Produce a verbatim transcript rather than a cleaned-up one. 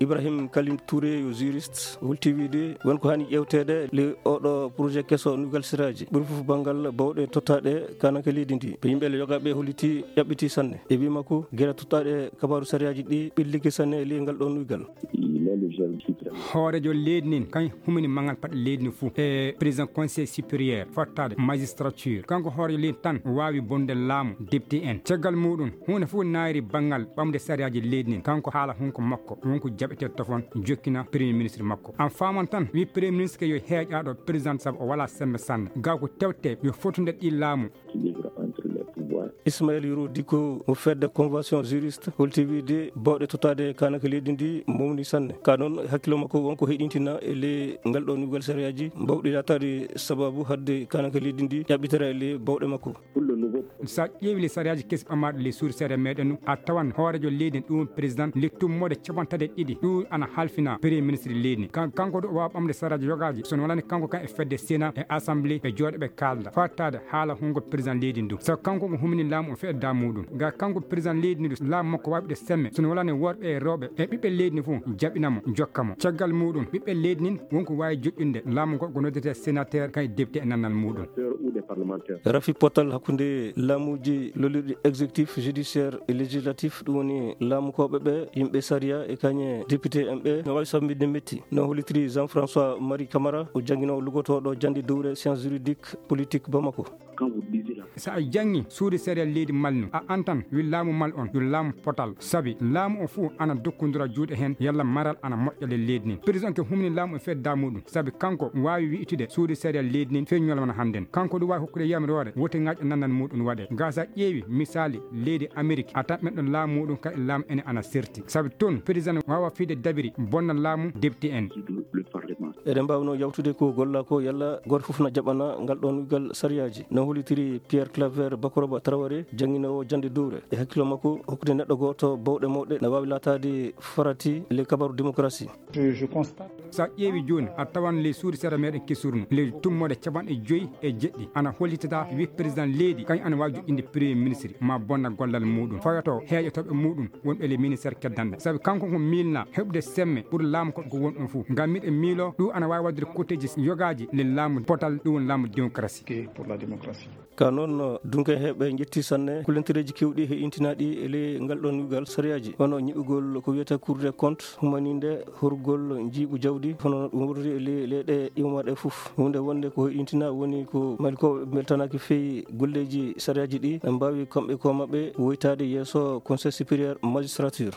Ibrahim Kalim Touré yo juriste, holti wiide won ko hani ƴewteede le oɗo projet keso nuygal sariyaaji, ɓuri fof banngal bawɗe tottaaɗe kananke leydi ndi. Ɓe yimɓe le yogaaɓe holliti ƴaɓɓiti sanne. E wii makko, gila tottaaɗe kabaaru sariyaaji ɗi ɓillike sanne e ley ngal ɗo nuygal. Hoorejo leydi nin kan humini mangal paɗe leydi ndi fof e président conseil supérieur fottaade magistrature. Kanko hoorejo leydi tan waawi bonde laamu député en. Caggal muɗum, huunde fof naayri banngal ɓamde sariyaaji leydi nin. Kanko haala hunko makko, wonko jaɓete tofon jokkina premier ministre makko. An faaman tan, wi premier ministre ke yo heeƴaɗo président sabu o wala sembe sanne. Gaw ko tewte yo fotunde ɗi laamu. Ismaël Yoro Dicko mo fedde convention juriste holti wiide bawɗe tottaade kananke leydi ndi mawni sanne. Ka noon hakkilo makko wonko heɗintina e le ngal ɗo nuygal sariyaaji mbawɗi lataade sababu hadde kananke leydi ndi ƴaɓɓitara e le bawɗe makko. Sa ƴeewi le sariyaaji kesi ɓamaaɗo le suudu seeɗa meɗen nu, a tawan hoorejo leydi ndi ɗum président le tummoɗe capantaɗe ɗiɗi ɗum ana halfina premier ministre leydi ndi. Kan-, kanko ɗo o waawa ɓamde sariyaaji yogaaji, so no walani kanko kan e fedde Sénat e Assemblée ɓe jooɗo ɓe kaalda. Fattaade haala hungo président leydi ndu. Sabu kanko ko humini laamu o feɗda muɗum. Ga kanko président leydi ndu laamu makko waɗude semme. So no walani worɓe e rewɓe e ɓiɓɓe leydi ndi fof jaɓina mo, jokka mo. Caggal muɗum, ɓiɓɓe leydi nin wonko waawi joƴƴinde laamu ngo ko noddete sénateur kay député e nannal muɗum. Rafi potal hakkunde laamuuji lolirɗi exécutif, judiciaire e législatif, ɗum woni laamukooɓe ɓe, yimɓe sariya e kañe député en ɓe, no waawi samminde metti. No hollitiri Jean-François Marie Camara, o jannginoowo lugotooɗo jannde dowre science juridique politique Bamako. Sa a janngi suudu sariya leydi Mali nu, a antan wi laamu Mali on yo laamu potal. Sabi laamu o fof ana dokkondira juuɗe heen yalla maral ana moƴƴa le leydi nin. Président ke humni laamu e fedda muɗum. Sabi kanko waawi wi'itude suudu sariya leydi nin fii ñalawma hannden. Kanko ɗum waawi hokkude yamiroore wote ŋaaƴa nannal muɗum waɗe. Ga sa ƴeewi misaali leydi Amerik, a tan men ɗon laamu muɗum kadi laamu ene ana serti. Sabi toon président waawa fiide dabiri bonna laamu député en. Eɗen mbaawno yawtude ko golla ko yalla gooto fof na jaɓana ngal ɗoon ngal sariyaaji. No hollitiri Pierre Claver Bakoroba Traoré, jannginoowo jannde dowre. E hakkilo makko, hokkude neɗɗo gooto bawɗe mawɗe na waawi laataade farati le kabaru démocratie. Je, je constate. Sa ƴeewi jooni, a tawan ley suudu sera meɗen kesurno, ley tummoɗe capanɗe joyi e jeɗɗi, ana hollitata wi président leydi, kañ ana waawi joƴƴinde premier ministre, ma bonna gollal muɗum. Fayoto heeƴotooɓe muɗum wonɓe ley ministère keddanɗe. Sabi kanko ko miilna heɓude semme ɓuri laamu ko, ko won ɗum fof. Ngam miɗen miilo ɗum ana waawi waɗude kotteeji yogaaji ley laamu potal, ɗum woni laamu démocratie. Pour la démocratie. Ka noon, dunke heɓe njetti sanne kulentereeji kewɗi he intinaaɗi e ley ngal ɗoon ngal sariyaaji, hono ñiɓugol ko wiyata Cour des comptes, humaninde horgol njiiɓu jawdi, hono ɗum woni e ley, ley ɗe iwmaɗe fof. Huunde wonde ko intina woni ko Malikooɓe mbeltanaaki feewi golleeji sariyaaji ɗi, ɓe mbaawi kamɓe ko maɓɓe woytaade yeeso Conseil supérieur magistrature.